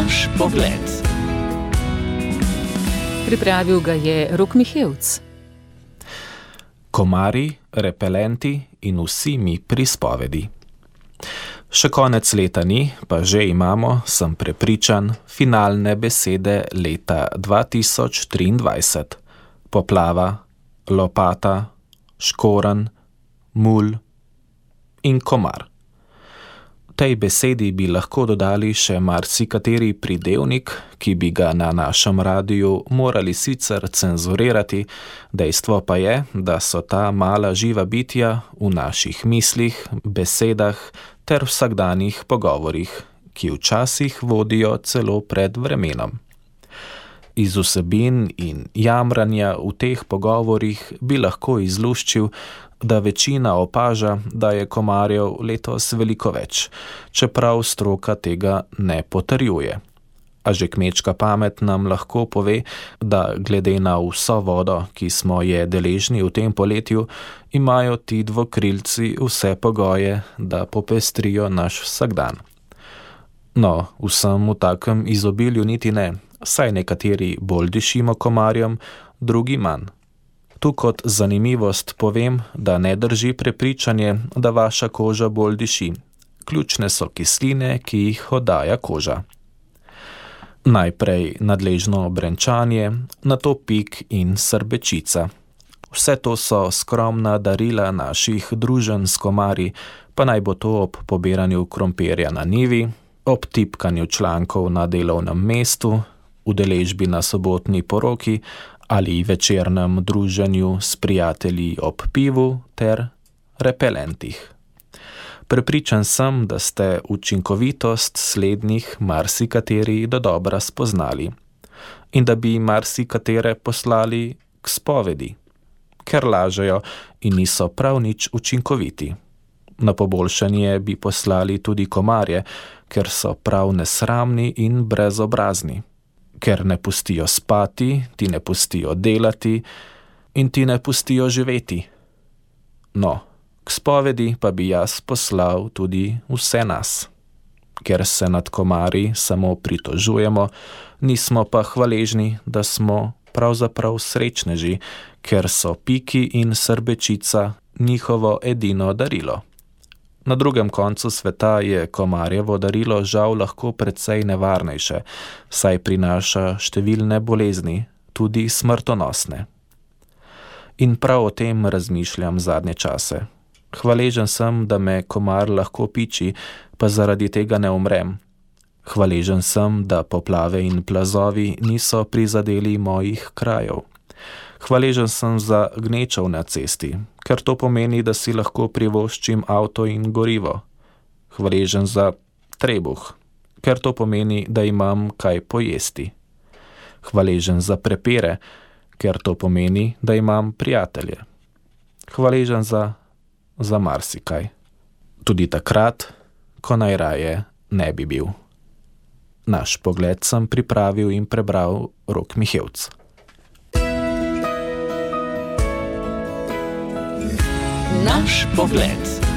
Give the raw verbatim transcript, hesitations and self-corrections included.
Naš pogled. Pripravil ga je Rok Mihevc. Komarji, repelenti in vsi mi prispovedi. Še konec leta ni, pa že imamo, sem prepričan, finalne besede leta dva tisoč triindvajset. Poplava, lopata, škorenj, mulj in komar. Tej besedi bi lahko dodali še marsikateri pridevnik, ki bi ga na našem radiju morali sicer cenzurirati, dejstvo pa je, da so ta mala živa bitja v naših mislih, besedah ter vsakdanjih pogovorih, ki včasih vodijo celo pred vremenom. Iz vsebin in jamranja v teh pogovorih bi lahko izluščil, da večina opaža, da je komarjev letos veliko več, čeprav stroka tega ne potrjuje. A že kmečka pamet nam lahko pove, da glede na vso vodo, ki smo je deležni v tem poletju, imajo ti dvokrilci vse pogoje, da popestrijo naš vsakdan. No, vsem v takem izobilju niti ne, saj nekateri bolj dišimo komarjem, drugi manj. Tu kot zanimivost povem, da ne drži prepričanje, da vaša koža bolj diši. Ključne so kisline, ki jih oddaja koža. Najprej nadležno brenčanje, nato pik in srbečica. Vse to so skromna darila naših druženj s komarji, pa naj bo to ob pobiranju krompirja na njivi, ob tipkanju člankov na delovnem mestu, udeležbi na sobotni poroki ali večernem druženju s prijatelji ob pivu ter repelentih. Prepričan sem, da ste učinkovitost slednjih marsikateri dodobra spoznali in da bi marsikatere poslali k spovedi, ker lažejo in niso prav nič učinkoviti. Na poboljšanje bi poslali tudi komarje, ker so prav nesramni in brezobrazni. Ker ne pustijo spati, ti ne pustijo delati in ti ne pustijo živeti. No, k spovedi pa bi jaz poslal tudi vse nas. Ker se nad komarji samo pritožujemo, nismo pa hvaležni, da smo pravzaprav srečneži, ker so piki in srbečica njihovo edino darilo. Na drugem koncu sveta je komarjevo darilo žal lahko precej nevarnejše, saj prinaša številne bolezni, tudi smrtonosne. In prav o tem razmišljam zadnje čase. Hvaležen sem, da me komar lahko piči, pa zaradi tega ne umrem. Hvaležen sem, da poplave in plazovi niso prizadeli mojih krajev. Hvaležen sem za gnečev na cesti, ker to pomeni, da si lahko privoščim avto in gorivo. Hvaležen za trebuh, ker to pomeni, da imam kaj pojesti. Hvaležen za prepire, ker to pomeni, da imam prijatelje. Hvaležen za, za marsikaj. Tudi takrat, ko najraje ne bi bil. Naš pogled sem pripravil in prebral Rok Mihevc. Naš pogled.